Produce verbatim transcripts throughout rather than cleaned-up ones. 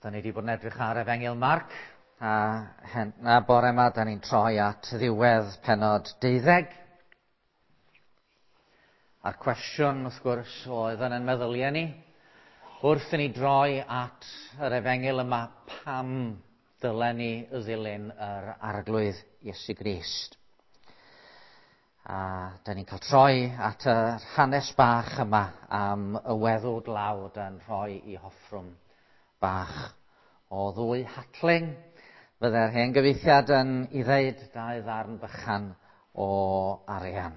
Da ni wedi bod yn edrych ar Efengyl Marc, a, hen, a bore yma da ni'n troi at ddiwedd pennod deuddeg. A'r cwestiwn, wrth gwrs, oedd yn ein meddyliau ni, wrth i ni droi at yr Efengyl yma, pam dylen ni ddilyn yr Arglwydd Iesu Grist. A da ni'n cael troi at yr hanes bach yma am y weddw dlawd yn rhoi i hoffrwm bach o ddwy hatling. Fydde'r hen gyfieithiad yn i ddeud dau ddarn bychan o arian.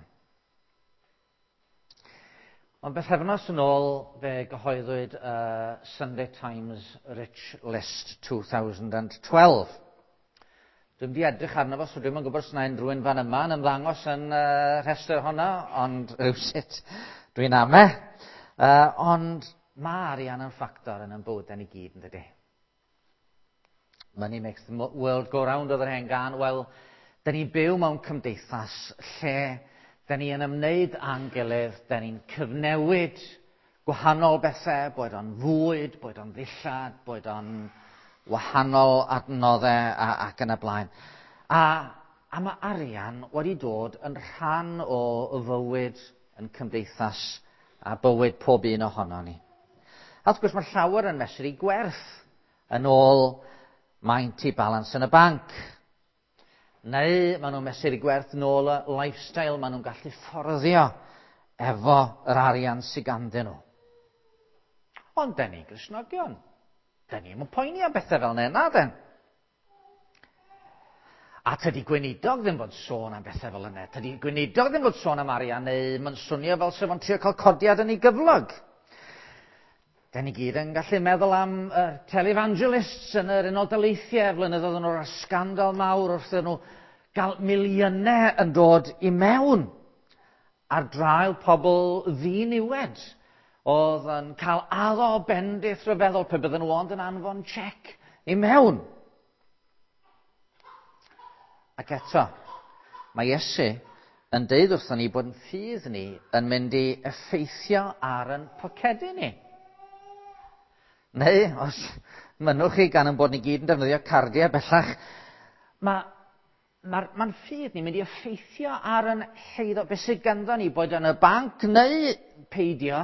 Ond bythefnos yn ôl fe gyhoeddwyd uh, Sunday Times Rich List dwy fil un deg dau. Dwi'n di edrych arno fo, so dwi'm yn gwybod os yna unrhyw un fan yma yn ymddangos yn uh, rhestr hwnna, ond rhywsut dwi'n ame. Uh, ond mae arian yn ffactor yn ein bywydau ni gyd, yn dydy? "Money makes the world go round" oedd yr hen gân. Wel, da ni'n byw mewn cymdeithas lle da ni yn ymwneud â'n gilydd, da ni'n cyfnewid gwahanol bethau, boed o'n fwyd, boed o'n ddillad, boed o'n wahanol adnoddau a, ac yn y blaen. A, a mae arian wedi dod yn rhan o fywyd yn cymdeithas a bywyd pob un ohono ni. A wrth gwrs, mae llawer yn mesur i gwerth yn ôl maint i balans yn y banc. Neu maen nhw'n mesur i gwerth yn ôl y lifestyle maen nhw'n gallu fforddio efo yr arian sydd ganddyn nhw. Ond den ni Gristnogion. Den ni'm yn poeni am bethau fel yna, na den? A tydi gweinidog ddim fod sôn am bethau fel yna. Tydi gweinidog ddim fod sôn am arian, neu mae'n swnio fel sef o'n trio cael codiad yn ei gyflog. Da ni gyd yn gallu meddwl am uh, televangelists yn yr Unol Daleithiau flynyddoedd yn o'r sgandal mawr wrth nhw gael miliynau yn dod i mewn ar draul pobl ddiniwed oedd yn cael addo bendith rhyfeddol pe bydden nhw ond yn anfon cheque i mewn. Ac eto, mae Iesu yn deud wrthon ni bod yn ffydd ni yn mynd i effeithio ar yn pocedi ni. Neu, os mynnwch chi, gan yn bod ni gyd yn defnyddio cardiau bellach, mae mae'r ma ffydd ni'n mynd i effeithio ar yn heiddo, beth sydd ganddo ni, boed yn y banc neu peidio,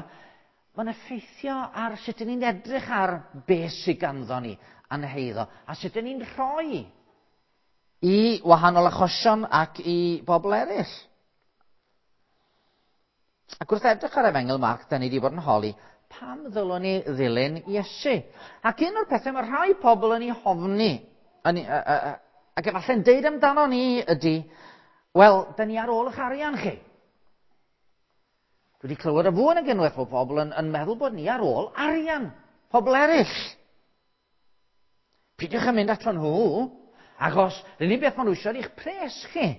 mae'n effeithio ar sut ydyn ni'n edrych ar beth sydd ganddo ni a'n heiddo, a sut ydyn ni'n rhoi i wahanol achosion ac i bobl eraill. Ac wrth edrych ar Efengyl Marc, da ni wedi bod yn holi, pam ddylwn ni ddilyn Iesu? Ac un o'r pethau mae rhai pobl yn ei hofni, yn, uh, uh, ac efallai'n deud amdano ni ydy, "Wel, da ni ar ôl eich arian chi." Dwi wedi clywed y fwy nag unwaith bod pobl yn, yn meddwl bod ni ar ôl arian pobl eraill. "Peidiwch yn mynd ato nhw, achos yr unig beth maen nhw eisiau eich pres chi."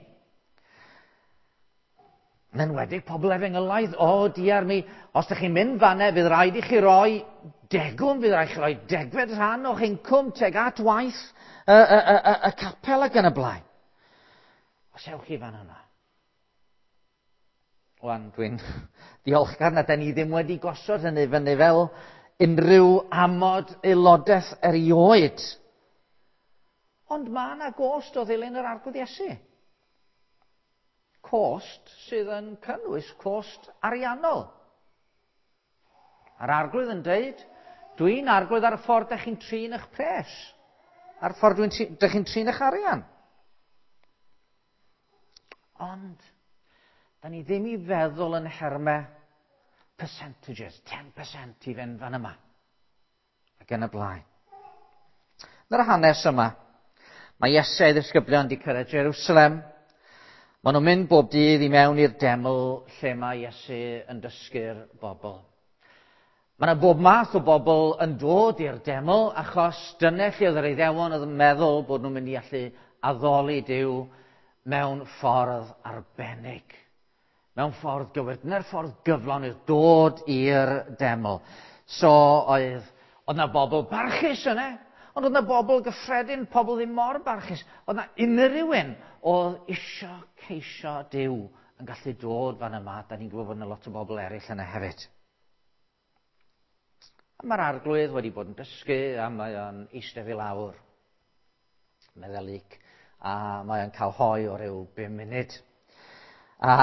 Yn enwedig pobl efengylaidd, "O, diar mi, os ydych chi'n mynd fanne, fydd rhaid i chi roi degwm, fydd rhaid i chi roi degfed rhan o'ch incwm teg at waith y, y, y, y, y capel ac yn y blaen. Os ewch chi fan yna." Wan, dwi'n diolchgar na da ni ddim wedi gosod hynny fyny fel unrhyw amod aelodaeth erioed. Ond mae yna gost o ddilyn yr Arglwydd Iesu, cost sydd yn cynnwys cost ariannol. A'r Arglwydd yn deud, "Dwi'n arglwydd ar y ffordd ydych chi'n trin eich pres, a'r ffordd ydych chi'n trin eich arian." Ond, da ni ddim i feddwl yn nhermau percentages, ten percent i fynd fan yma. Ac yn y blaen. Dyna'r hanes yma. Mae Iesu a'i ddisgyblion wedi cyrraedd Jerusalem. Maen nhw'n mynd bob dydd i mewn i'r deml lle mae Iesu yn dysgu'r bobl. Mae yna bob math o bobl yn dod i'r deml achos dyna lle oedd yr Iddewon oedd yn meddwl bod nhw'n mynd i allu addoli Duw mewn ffordd arbennig. Mewn ffordd gywir. Dyna'r ffordd gyflawn oedd dod i'r deml. So oedd, oedd yna bobl barchus yna, ond oedd yna bobl gyffredin, pobl ddim mor barchus. Oedd yna unrhyw un oedd isio ceisio Duw yn gallu dod fan yma. Da ni'n gwybod bod yna lot o bobl eraill yna hefyd. A mae'r arglwydd wedi bod yn dysgu a mae o'n eistedd i lawr, meddai Luc, a mae o'n cael hoe o ryw bum munud. A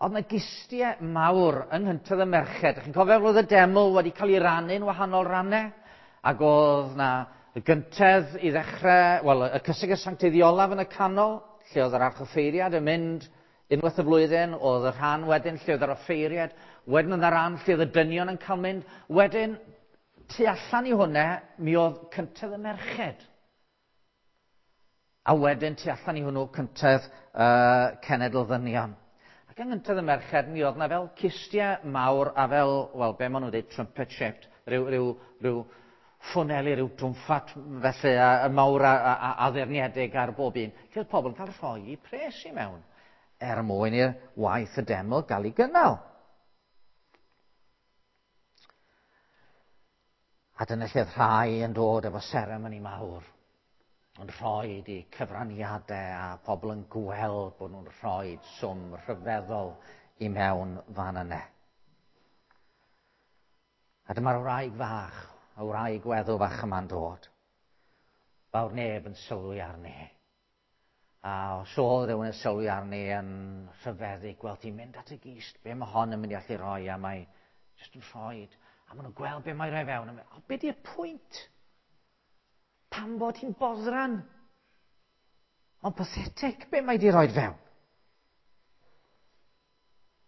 oedd yna gistiau mawr yng nghyntedd y merched. Chi'n cofio oedd y deml wedi cael ei rannu'n wahanol rannau? Ac oedd na y gyntedd i ddechrau, wel, y cysegr sancteiddiolaf yn y canol, lle oedd yr archoffeiriad yn mynd unwaith y flwyddyn, oedd y rhan wedyn lle oedd yr offeiriad, wedyn oedd y rhan lle oedd y dynion yn cael mynd, wedyn tu allan i hwnna, mi oedd cyntedd y merched. A wedyn tu allan i hwnnw cyntedd uh, cenedl ddynion. Ac yng nghyntedd y merched, mi oedd na fel cistiau mawr a fel, wel, be maen nhw'n dweud, trumpet shaped, rhyw, rhyw, rhyw ffwneli, rhyw drwmffat felly, a, a mawr a, a, a addurniedig ar bob un. Lle oedd pobl yn cael rhoi pres i mewn er mwyn i'r waith y deml gael ei gynnal. A dyna lle oedd rhai yn dod efo seremoni mawr, yn rhoi i cyfraniadau a pobl yn gweld bod nhw'n rhoi swm rhyfeddol i mewn fan yna. A dyma'r wraig fach, y wraig weddw fach yma'n dod. Fawr neb yn sylwi arni. A os oedd rhywun yn sylwi arni yn rhyfeddu, gweld hi'n mynd at y gist, be mae hon yn mynd i allu rhoi, a mae jyst yn rhoi. A maen nhw'n gweld be mae'n rhoi fewn. A mynd, o, be di'r pwynt? Pam bod hi'n boddran? Ond pathetic be mae di rhoi fewn.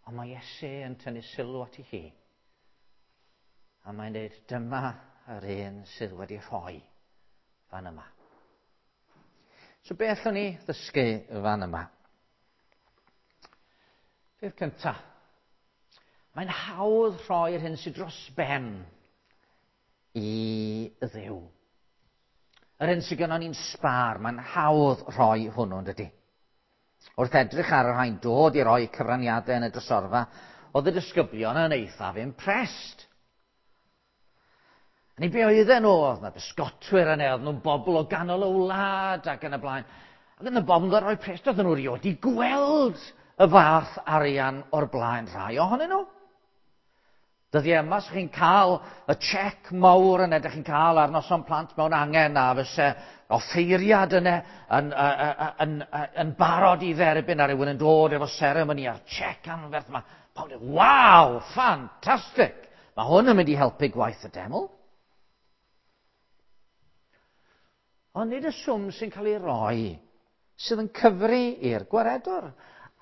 Ond mae Iesu yn tynnu sylw at ei hi. A mae'n dweud, dyma yr un sydd wedi rhoi fan yma. So be allwn ni ddysgu fan yma? Peth cyntaf, mae'n hawdd rhoi'r hyn sydd dros ben i Dduw. Yr hyn sydd gynnon ni'n sbâr, mae'n hawdd rhoi hwnnw, yn dydi? Wrth edrych ar y rhain dod i roi cyfraniadau yn y drysorfa, oedd y disgyblion yn eithaf impressed. Ni be oedden nhw, oedd na bysgotwyr yna, oedd nhw'n bobl o ganol y wlad ac yn y blaen. Ac yn y bobl yn rhoi pres, oedden nhw rioed i gweld y fath arian o'r blaen rhai ohonyn nhw. Dyddiau yma, so chi'n cael y check mawr yna, ydych chi'n cael ar noson plant mewn angen, a fyse offeiriad yna yn, yn, yn, yn, yn barod i dderbyn a rhywun yn dod efo seremoni a'r check anferth yma. Pawb yn dweud, waw, ffantastig! Mae hwn yn mynd i helpu gwaith y deml. Ond nid y swm sy'n cael ei roi sydd yn cyfri i'r gwaredwr.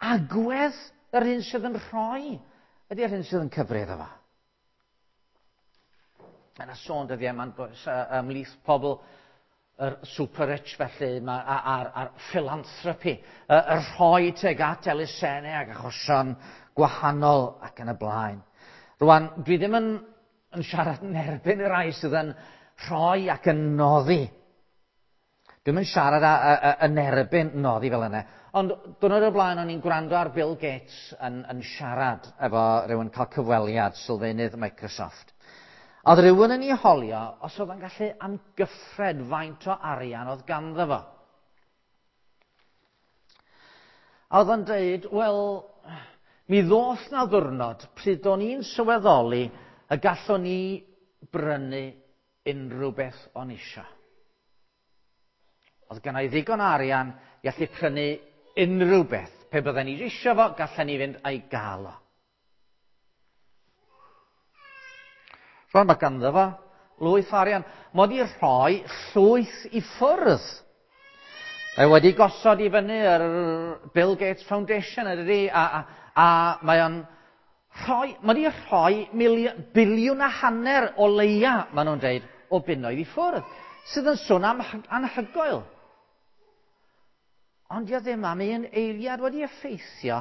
Agwedd yr un sydd yn rhoi ydy'r un sydd yn cyfri iddo fo. Mae yna sôn dyddiau yma'n ymhlith pobl yr super rich felly, a'r, a'r philanthropy, y, y rhoi tuag at elusennau ac achosion gwahanol ac yn y blaen. Rwan, dwi ddim yn, yn siarad yn erbyn y rhai sydd yn rhoi ac yn noddi. Dwi'm yn siarad a, a, a, yn erbyn noddi fel yna. Ond diwrnod o'r blaen o'n i'n gwrando ar Bill Gates yn, yn siarad efo rhywun cael cyfweliad sylfaenydd Microsoft. A oedd rhywun yn ei holio os oedd yn gallu amgyffred faint o arian oedd ganddo fo. A oedd o'n dweud, wel, mi ddoth na ddwrnod pryd o'n i'n sylweddoli y gallwn ni brynu unrhyw beth o'n isio. Oedd gynna i ddigon o arian i allu prynu unrhyw beth. Pe bydden ni eisiau fo, gallen ni fynd a'i gael o. Rwan mae ganddo fo lwyth o arian. Mae wedi rhoi llwyth i ffwrdd. Mae wedi gosod i fyny yr Bill Gates Foundation, ydy, a, a, a mae o'n rhoi, mae wedi rhoi miliwn, biliwn a hanner o leia, maen nhw'n dweud, o bunnoedd i ffwrdd, sydd yn sôn am anhygoel. Ond dio ddim am un eiliad wedi effeithio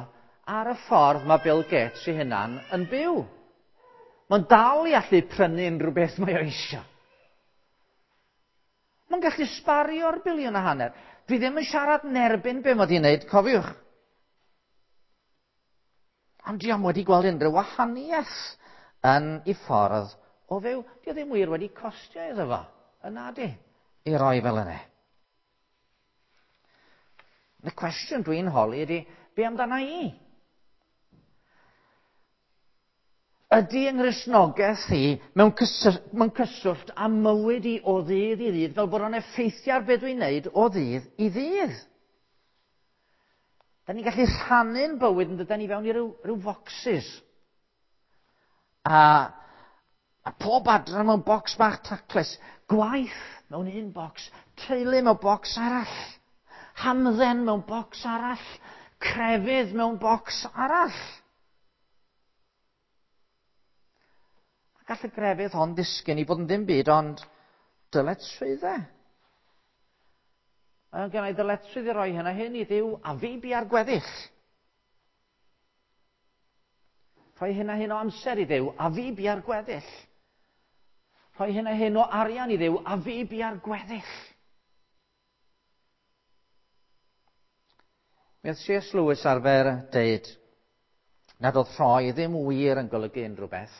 ar y ffordd mae Bill Gates ei hunan yn byw. Mae'n dal i allu prynu unrhyw beth mae o eisiau. Mae'n gallu sbario'r biliwn a hanner. Dwi ddim yn siarad yn erbyn be mae wedi'i wneud, cofiwch. Ond di o'm wedi gweld unrhyw wahaniaeth yn ei ffordd o fyw. Di o ddim wir wedi costio iddo fo, yn nadi, i roi fel yna. Y cwestiwn dwi'n holi ydy, be amdana i? Ydy yng Nghristnogaeth i mewn cyswllt, mewn cyswllt â mywyd i o ddydd i ddydd, fel bod o'n effeithio ar beth dwi'n neud o ddydd i ddydd? Da ni'n gallu rhannu'n bywyd yn dydan ni fewn i ryw, ryw focsys. A, a pob adran mewn bocs bach taclus. Gwaith mewn un bocs, teulu mewn bocs arall, hamdden mewn bocs arall, crefydd mewn bocs arall. A gall y grefydd hon ddisgyn i fod yn ddim byd ond dyletswyddau. Mae gen i ddyletswydd i roi hyn a hyn i Dduw a fi bia'r gweddill. Rhoi hyn a hyn o amser i Dduw a fi bia'r gweddill. Rhoi hyn a hyn o arian i Dduw a fi bia'r gweddill. Mi oedd C S Lewis arfer deud nad oedd rhoi ddim wir yn golygu unrhyw beth,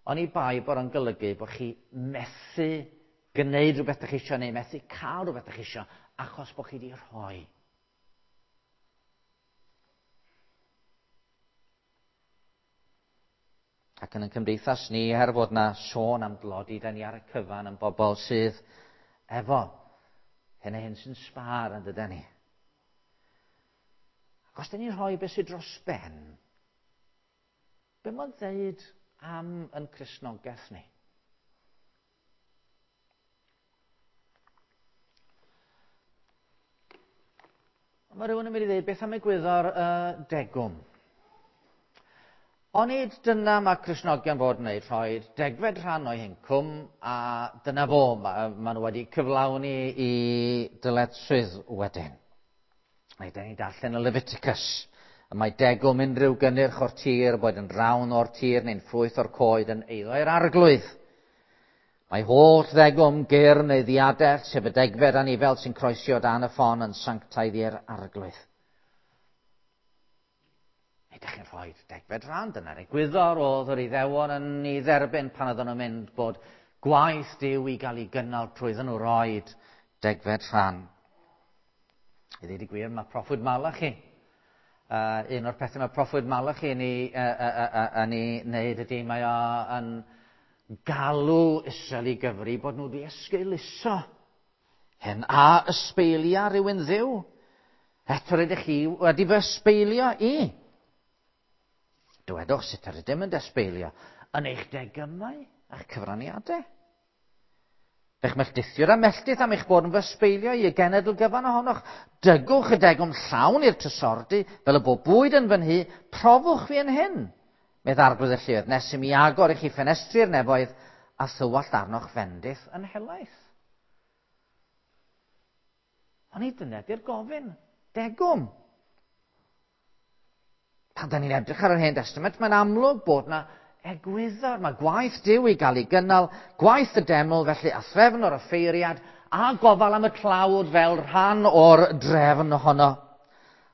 ond i bai bod o'n golygu bod chi methu gwneud rhywbeth ydych chi eisiau neu methu cael rhywbeth ydych chi eisiau achos bod chi wedi rhoi. Ac yn y cymdeithas ni, er fod na sôn am dlodi, da ni ar y cyfan yn bobl sydd efo hyn a hyn sy'n sbâr yn dydan ni. Ac os da ni'n rhoi beth sydd dros ben, be mae'n ddeud am yn Cristnogaeth ni? Mae rhywun yn mynd i ddweud, beth am egwyddor uh, degwm? Onid dyna mae Cristnogion fod yn wneud, rhoi degfed rhan o'i hincwm, a dyna fo, mae ma nhw wedi cyflawni i dyletswydd wedyn. Neu, da ni'n darllen y Leviticus. Y mae degwm unrhyw gynnyrch o'r tir, boed yn rawn o'r tir neu'n ffrwyth o'r coed yn eiddo i'r arglwydd. Mae holl ddegwm gyr neu ddiadell, sef y degfed anifel sy'n croesi o dan y ffon yn sanctaidd i'r arglwydd. Neu ydych chi'n rhoi degfed rhan, dyna'r egwyddor oedd yr Iddewon yn ei dderbyn pan oedden nhw'n mynd bod gwaith Duw i gael ei gynnal trwy iddyn nhw roed degfed rhan. I ddweud y gwir, mae proffwyd Malachi. Uh, un o'r pethau mae proffwyd Malachi yn ei, uh, uh, uh, yn ei wneud ydy mae o yn galw Israel i gyfri bod nhw wedi esgeuluso. Hyn a ysbeilia rhywun Dduw. Eto rydych chi wedi fy ysbeilio i. Dywedwch sut yr ydym yn desbeilio yn eich degymau a'ch cyfraniadau. Fe'ch melltithiwr a melltith am eich bod yn fy ysbeilio i y genedl gyfan ohonoch. Dygwch y degwm llawn i'r trysordy, fel y bod bwyd yn fy nhŷ, profwch fi yn hyn. Medd arglwydd y lluoedd, nes i mi agor i chi ffenestri'r nefoedd a thywallt arnoch fendith yn helaeth. Ond i dyna di'r gofyn, degwm. Pan da ni'n edrych ar yr Hen Testament, mae'n amlwg bod na egwyddor. Mae gwaith Duw i gael ei gynnal, gwaith y deml, felly a threfn o'r offeiriad, a gofal am y tlawd fel rhan o'r drefn ohono.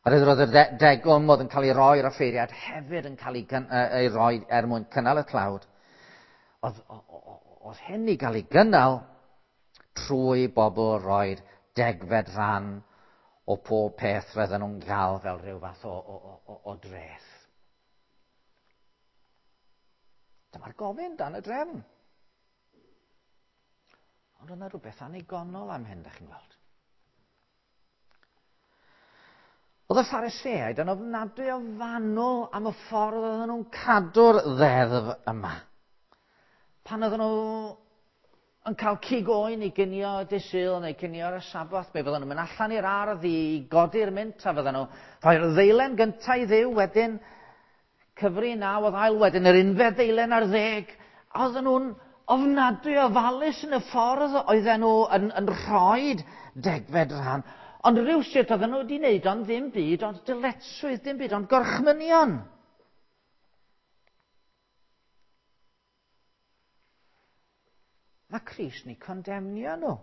A roedd y degwm oedd yn cael ei roi i'r offeiriad hefyd yn cael ei, ei roi er mwyn cynnal y tlawd. Oedd, oedd hyn i gael ei gynnal trwy bobl roed degfed rhan o pob peth roedden nhw'n gael fel rhyw fath o, o, o, o dreth. Dyma'r gofyn dan y drefn. Ond oedd yna rhywbeth annigonol am hyn, da chi'n gweld. Oedd y Phariseaid yn ofnadwy o fanwl am y ffordd oedden nhw'n cadw'r ddeddf yma. Pan oedden nhw yn cael cig oen i ginio dydd Sul neu cinio ar y Saboth, be fydden nhw'n mynd allan i'r ardd i godi'r mint a fydden nhw rhoi'r ddeilen gyntaf i Dduw, wedyn cyfri naw oedd ail, wedyn yr unfed ddeilen ar ddeg. A oedden nhw'n ofnadwy o ofalus yn y ffordd oedden nhw yn, yn rhoi degfed rhan. Ond rhywsut oedden nhw wedi wneud ond ddim byd, ond dyletswydd ddim byd, ond gorchmynion. Mae Crist ni condemnio nhw.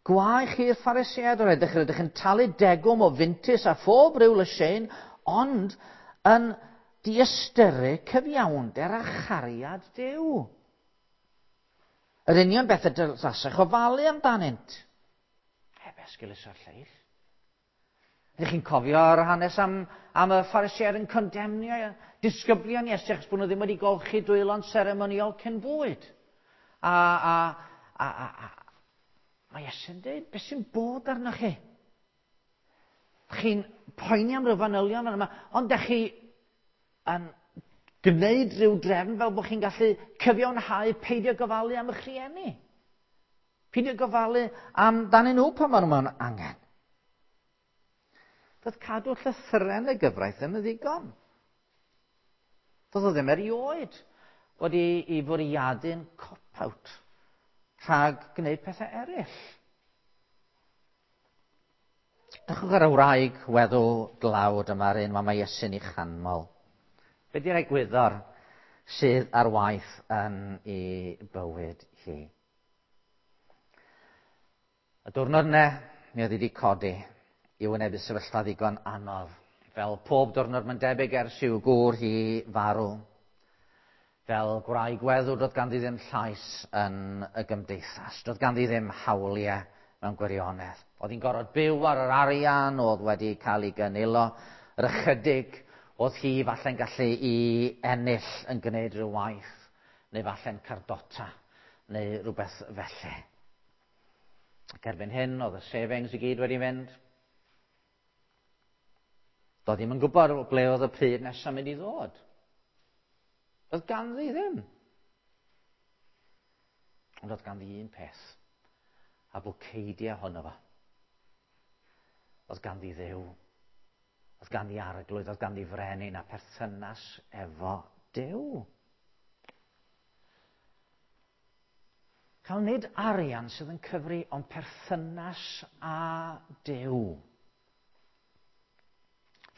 Gwae chi'r Phariseaid, o'r edrych rydych yn talu degwm o fintys a phob rhyw lysieuyn, ond yn diystyru cyfiawnder a chariad Duw. Yr union beth y dylasech ofalu amdanynt. Heb esgeuluso'r lleill. Ydych chi'n cofio'r hanes am, am y Phariseaid yn condemnio disgyblion Iesu achos bod nhw ddim wedi golchi dwylo'n seremoniol cyn bwyd. A, a, a, a, a mae Iesu'n dweud, beth sy'n bod arnoch chi? Chi'n poeni am ryw fanylion fan yma, ond dych chi yn gwneud rhyw drefn fel bod chi'n gallu cyfiawnhau peidio gofalu am eich rhieni. Peidio gofalu amdanyn nhw pan maen nhw mewn angen. Doedd cadw llythyren y gyfraith ddim yn ddigon. Doedd o ddim erioed wedi ei fwriadu'n cop-out rhag gwneud pethau eraill. Drychwch ar y wraig weddw dlawd yma'r un mae Iesu'n ei chanmol. Be di'r egwyddor sydd ar waith yn ei bywyd hi? Y diwrnod yna, mi oedd hi wedi codi i wynebu sefyllfa ddigon anodd. Fel pob diwrnod mae'n debyg ers i'w gŵr hi farw. Fel gwraig weddw, doedd ganddi ddim llais yn y gymdeithas. Doedd ganddi ddim hawliau mewn gwirionedd. Oedd hi'n gorfod byw ar yr arian oedd wedi cael ei gynilo. Yr ychydig oedd hi falle'n gallu i ennill yn gwneud rhyw waith, neu falle'n cardota, neu rhywbeth felly. Ac erbyn hyn, oedd y savings i gyd wedi mynd. Doedd ddim yn gwybod ble oedd y pryd nesaf mynd i ddod. Doedd ganddi ddim. Ond oedd ganddi un peth, a bwceidiau ohono fo. Oedd ganddi Dduw, oedd ganddi arglwydd, oedd ganddi frenin a perthynas efo Duw. Cael nid arian sydd yn cyfri, ond perthynas â Duw.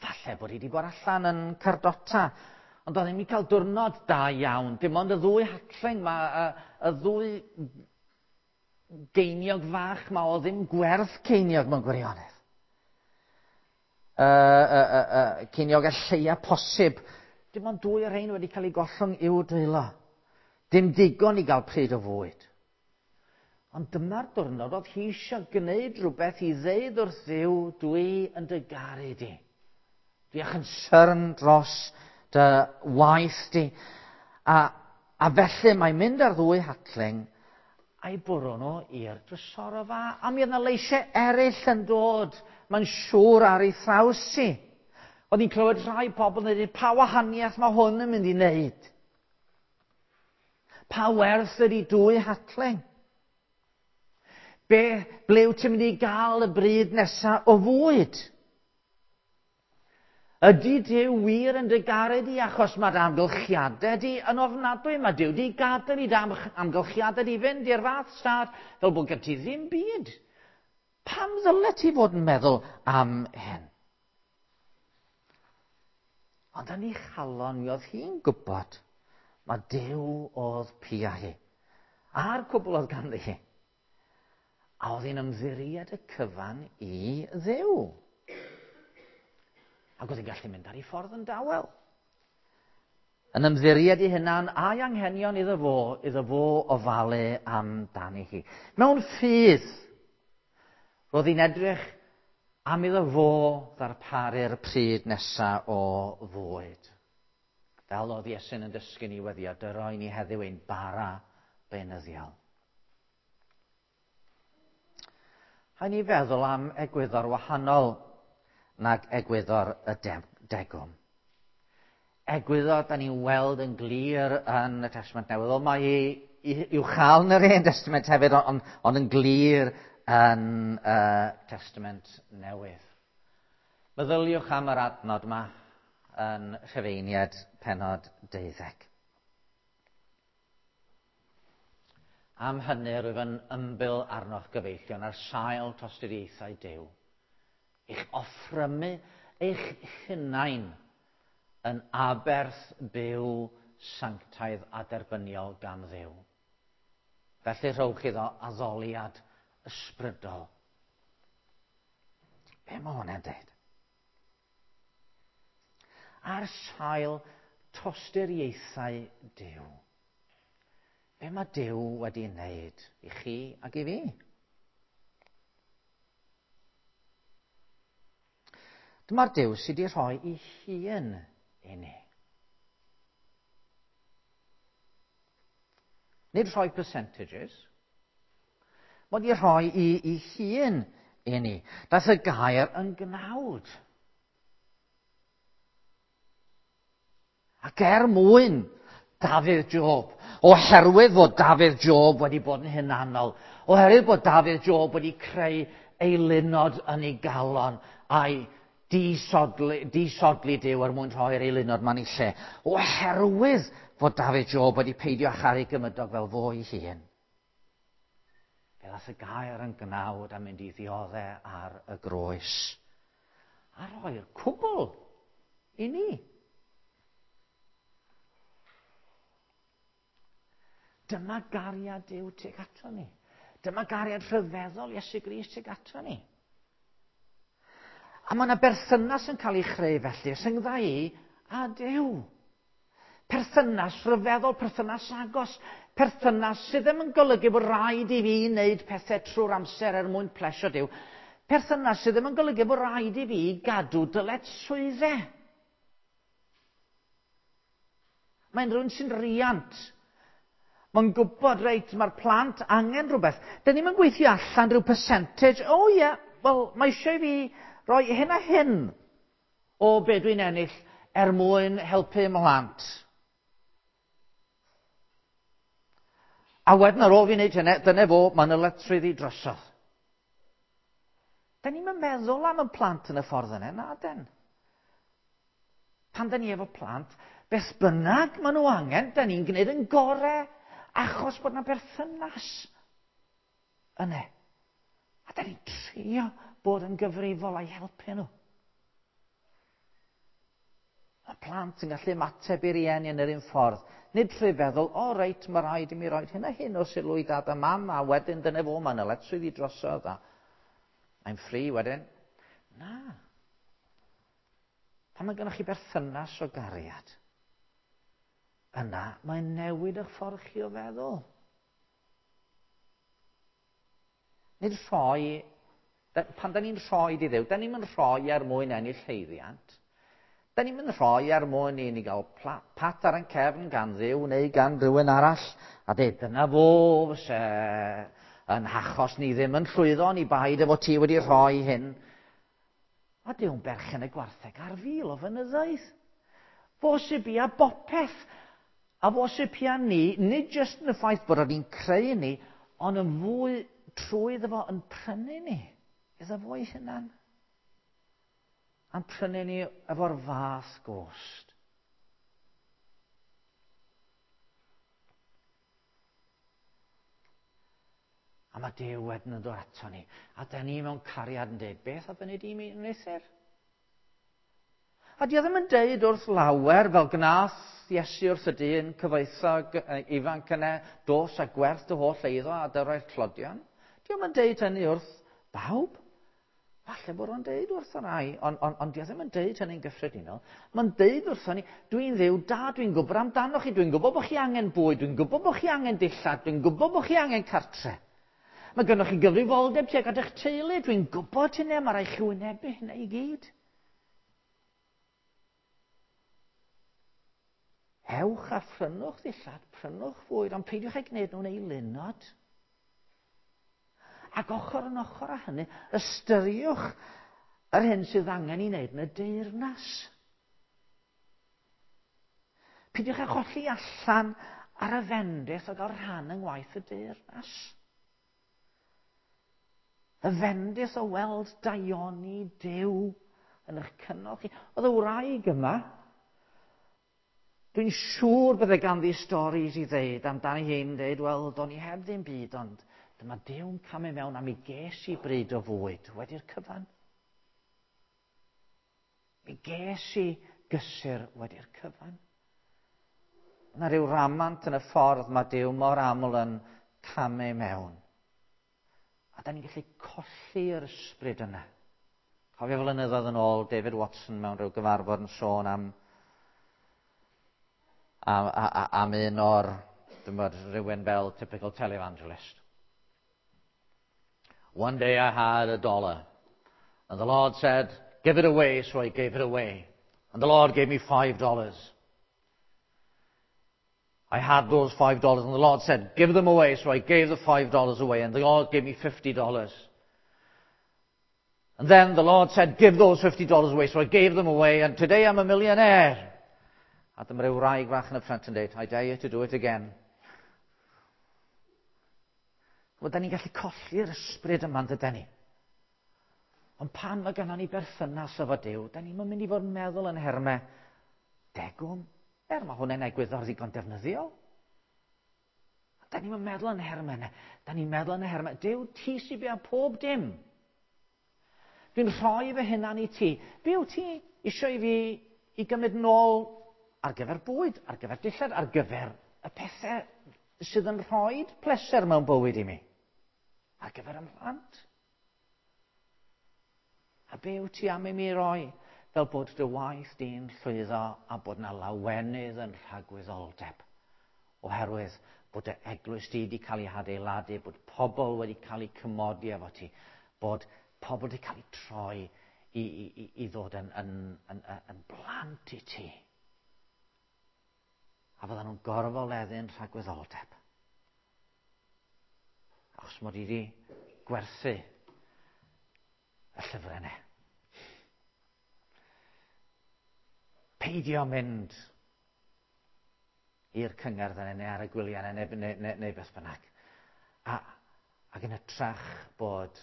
Falle bod hi wedi bod allan yn cardota, ond oedd ddim wedi cael diwrnod da iawn. Dim ond y ddwy hacling ma, y, y ddwy geiniog fach ma, oedd ddim gwerth ceiniog mewn gwirionedd. Uh, uh, uh, uh, ceiniog y lleia posib. Dim ond dwy o'r rhain wedi cael ei gollwng i'w dwylo. Dim digon i gael pryd o fwyd. Ond dyma'r diwrnod oedd hi eisiau gwneud rhywbeth i ddeud wrth Dduw, dwi yn dy garu di. Dwi â chynsyrn dros dy waith di. A, a felly mae'n mynd ar ddwy hacling a'i bwrw nhw i'r drysorfa. A mi oedd yna leisiau eraill yn dod, mae'n siŵr ar ei thraws hi. Oedd hi'n clywed rhai pobl yn dweud, pa wahaniaeth mae hwn yn mynd i wneud? Pa werth ydy dwy hacling? Be, ble wyt ti'n mynd i gael y bryd nesaf o fwyd? Ydy Duw wir yn dy garu di achos mae dy amgylchiadau di yn ofnadwy? Mae Duw di gadael i dy amgylchiadau di fynd i'r fath stad fel bod gen ti ddim byd. Pam ddyle ti fod yn meddwl am hyn? Ond yn ei chalon mi oedd hi'n gwybod mae Duw oedd pia hi. A'r cwbl oedd ganddi hi. A oedd hi'n ymddiried y cyfan i Dduw. Ac oedd hi'n gallu mynd ar ei ffordd yn dawel. Yn ymddiried i hunan a'i anghenion iddo fo, iddo fo ofalu amdani hi. Mewn ffydd, roedd hi'n edrych am iddo fo ddarparu'r pryd nesaf o fwyd. Fel oedd Iesu'n yn dysgu ni weddio, dyroi ni heddiw ein bara beunyddiol. Rhaid ni feddwl am egwyddor wahanol nag egwyddor y degwm. Egwyddor da ni'n weld yn glir yn y Testament Newydd. Wel, mae i'w chael yn yr Hen Testament hefyd, ond, ond yn glir yn y Testament Newydd. Meddyliwch am yr adnod yma yn Rhufeiniaid pennod deuddeg. Am hynny rwyf yn ymbil arnoch gyfeillion ar sail tosturiaethau Duw. Eich offrymu eich hunain yn aberth byw sanctaidd a derbyniol gan Dduw. Felly rhowch iddo addoliad ysbrydol. Be mae hwnna'n dweud? Ar sail tosturiaethau Duw. Be mae Duw wedi wneud i chi ac i fi? Dyma'r Duw sydd wedi rhoi ei hun i ni. Nid rhoi percentages. Mae wedi rhoi i, ei hun i ni. Daeth y gair yn gnawd. Ac er mwyn Dafydd Job, oherwydd fod Dafydd Job wedi bod yn hunanol, oherwydd bod Dafydd Job wedi creu eilunod yn ei galon a'i disodli, disodli Duw er mwyn rhoi'r eilunod ma'n ei lle, oherwydd fod Dafydd Job wedi peidio â charu gymydog fel fo ei hun, fe ddaeth y gair yn gnawd a mynd i ddioddau ar y groes a rhoi'r cwbl i ni. Dyma gariad Duw tuag ato ni. Dyma gariad rhyfeddol Iesu Grist tuag ato ni. A mae yna berthynas yn cael ei chreu felly, rhyngdda i a Duw. Perthynas rhyfeddol, perthynas agos, perthynas sydd ddim yn golygu bod rhaid i fi wneud pethau trwy'r amser er mwyn plesio Duw. Perthynas sydd ddim yn golygu bod rhaid i fi gadw dyletswyddau. Mae'n rhywun sy'n riant. Mae'n gwybod, reit, mae'r plant angen rhywbeth. Dyn ni'm yn gweithio allan rhyw percentage. O ie, yeah, wel, mae eisiau i fi roi hyn a hyn o be dwi'n ennill er mwyn helpu mhlant. A wedyn ar ôl fi wneud hynny, dyna fo, mae'n ddyletswydd i drosodd. Dyn ni'm yn meddwl am y plant yn y ffordd yna, na den. Pan dyn ni efo plant, beth bynnag maen nhw angen, dyn ni'n gwneud yn gorau, achos bod yna berthynas yna. A dyn ni'n trio bod yn gyfrifol a'i helpu nhw. Mae plant yn gallu ymateb i rieni yn yr un ffordd. Nid trwy feddwl, o oh, reit, mae rhaid i mi roed hyn a hyn o sylw i dad a mam, a wedyn dyna fo, mae'n ddyletswydd i drosodd, a I'm free wedyn. Na. Pan mae gennych chi berthynas o gariad, yna mae'n newid eich ffordd chi o feddwl. Nid rhoi, pan da ni'n rhoi i Dduw, da ni'n mynd rhoi er mwyn ennill haeddiant. Da ni'n mynd rhoi er mwyn i ni gael pat ar ein cefn gan Dduw neu gan rhywun arall. A dweud, dyna fo, fyse yn hachos ni ddim yn llwyddo, ni baid efo ti wedi rhoi hyn. A Duw'n berchen y gwartheg ar fil o fynyddoedd. Fo sy'n bia bopeth. A fo sy'n pia ni, nid jyst yn y ffaith bod o'n creu ni, ond yn fwy trwy iddo fo yn prynu ni. Iddo fo ei hunan. A'n prynu ni efo'r fath gost. A mae Duw wedyn yn dod ato ni. A da ni mewn cariad yn dweud, beth a fyny di mi wneuthur? A di o ddim yn deud wrth lawer fel gnath Iesu wrth y dyn cyfoethog ifanc yna, dos a gwerth dy holl eiddo a dyroi'r tlodion. Di o'm yn deud hynny wrth bawb. Falle bod o'n deud wrth rai, ond on, on di o ddim yn deud hynny'n gyffredinol. Mae'n deud wrthon ni, dwi'n Dduw da, dwi'n gwybod amdano chi, dwi'n gwybod bod chi angen bwyd, dwi'n gwybod bod chi angen dillad, dwi'n gwybod bod chi angen cartre. Mae gennych chi gyfrifoldeb tuag at eich teulu, dwi'n gwybod hynny, mae rhaid chi wynebu hynny i gyd. Ewch a phrynwch ddillad, prynwch fwyd, ond peidiwch â gwneud nhw'n eilunod. Ac ochr yn ochr â hynny, ystyriwch yr hyn sydd angen i wneud yn y deyrnas. Peidiwch â cholli allan ar y fendith o gael rhan yng ngwaith y deyrnas. Y fendith o weld daioni Duw yn eich cynnal chi. Oedd y wraig yma, dwi'n siŵr bydde ganddi storis i ddeud amdani hi'n dweud, wel, do'n i heb ddim byd, ond dyma Duw'n camu mewn a mi ges i bryd o fwyd wedi'r cyfan. Mi ges i gysur wedi'r cyfan. Yna rhyw ramant yn y ffordd mae Duw mor aml yn camu mewn. A da ni'n gallu colli'r ysbryd yna. Cofio flynyddoedd yn ôl, David Watson mewn rhyw gyfarfod yn sôn am, am, am, am un o'r, dwi'n bod, rhywun fel typical televangelist. One day I had a dollar, and the Lord said, give it away, so I gave it away. And the Lord gave me five dollars. I had those five dollars, and the Lord said, give them away, so I gave the five dollars away, and the Lord gave me fifty dollars. And then the Lord said, give those fifty dollars away, so I gave them away, and today I'm a millionaire. A dyma ryw wraig fach yn y ffrynt yn dweud, I dare you to do it again. Wel, da ni'n gallu colli'r ysbryd yma, dydan ni? Ond pan mae gennym ni berthynas efo Duw, da ni'n mynd i fod yn meddwl yn nhermau degwm, er mae hwnna'n egwyddor ddigon defnyddiol. Da ni'n meddwl yn nhermau yna. Da ni'n meddwl yn nhermau, Duw, ti sy'n byw pob dim. Dwi'n rhoi fy hunan i ti. Be wyt ti eisiau i fi i gymryd nôl ar gyfer bwyd, ar gyfer dillad, ar gyfer y pethau sydd yn rhoi pleser mewn bywyd i mi? Ar gyfer 'y mhlant? A be wyt ti am i mi roi fel bod dy waith di'n llwyddo a bod na lawenydd yn rhagwyddoldeb? Oherwydd bod y eglwys di wedi cael ei hadeiladu, bod pobl wedi cael eu cymodi efo ti, bod pobl wedi cael eu troi i, i, i, i ddod yn, yn, yn, yn, yn blant i ti. A fyddan nhw'n gorfoleddu'n rhagwyddoldeb. Achos mod i wedi gwerthu y llyfrau yna. Peidio mynd i'r cyngerdd yna neu ar y gwyliau yna neu, neu, neu, neu beth bynnag. A, ac yn hytrach bod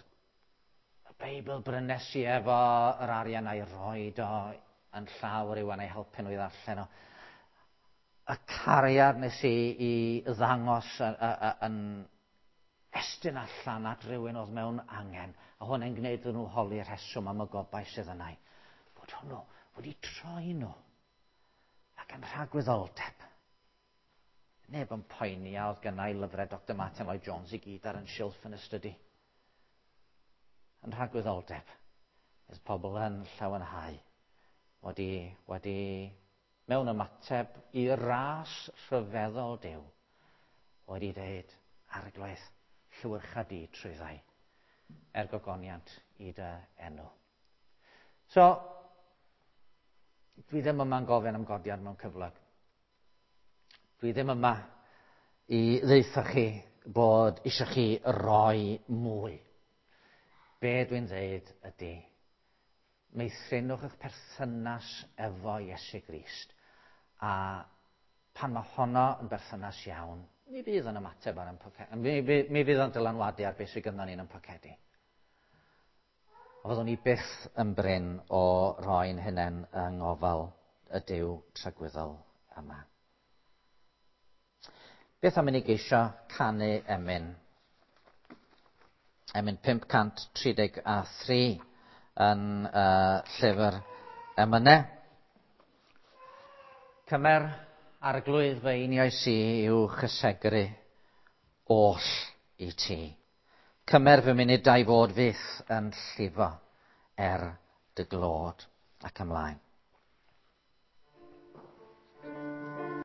y Beibl brynes i efo yr arian a'i roed o yn llaw rhywun a'i helpu nhw i ddarllen o. Y cariad nes i i ddangos yn estyn allan at rhywun oedd mewn angen, a hwnna'n gwneud iddyn nhw holi'r rheswm am y gobaith sydd yna. Bod hwnnw wedi troi nhw ac yn rhagwyddoldeb. Neb yn poeni a oedd gynna i lyfrau Doctor Martin Lloyd Jones i gyd ar yn silff yn y stydi. Yn rhagwyddoldeb, oedd pobl yn llawenhau wedi, wedi mewn ymateb i ras rhyfeddol Duw, wedi dweud, Arglwydd, llywyrcha di trwyddau, er gogoniant i dy enw. So, dwi ddim yma'n gofyn am godiad mewn cyflog. Dwi ddim yma i ddeutha chi bod eisiau chi roi mwy. Be dwi'n dweud ydy, meithrinwch eich perthynas efo Iesu Grist. A pan mae honno yn berthynas iawn, mi fydd yn ymateb ar ein pocedi. Mi, mi, mi fydd yn dylanwadu ar beth sydd gynnon ni yn ein pocedi. A fyddwn ni byth yn brin o roi'n hunain yng ngofal y Duw tragwyddol yma. Beth am i ni geisio canu emyn? Emyn pump cant tri deg a thri yn uh, llyfr emynau. Cymer Arglwydd fy einioes i i'w chysegru oll i ti. Cymer fy munudau fod fyth yn llifo er dy glod ac ymlaen.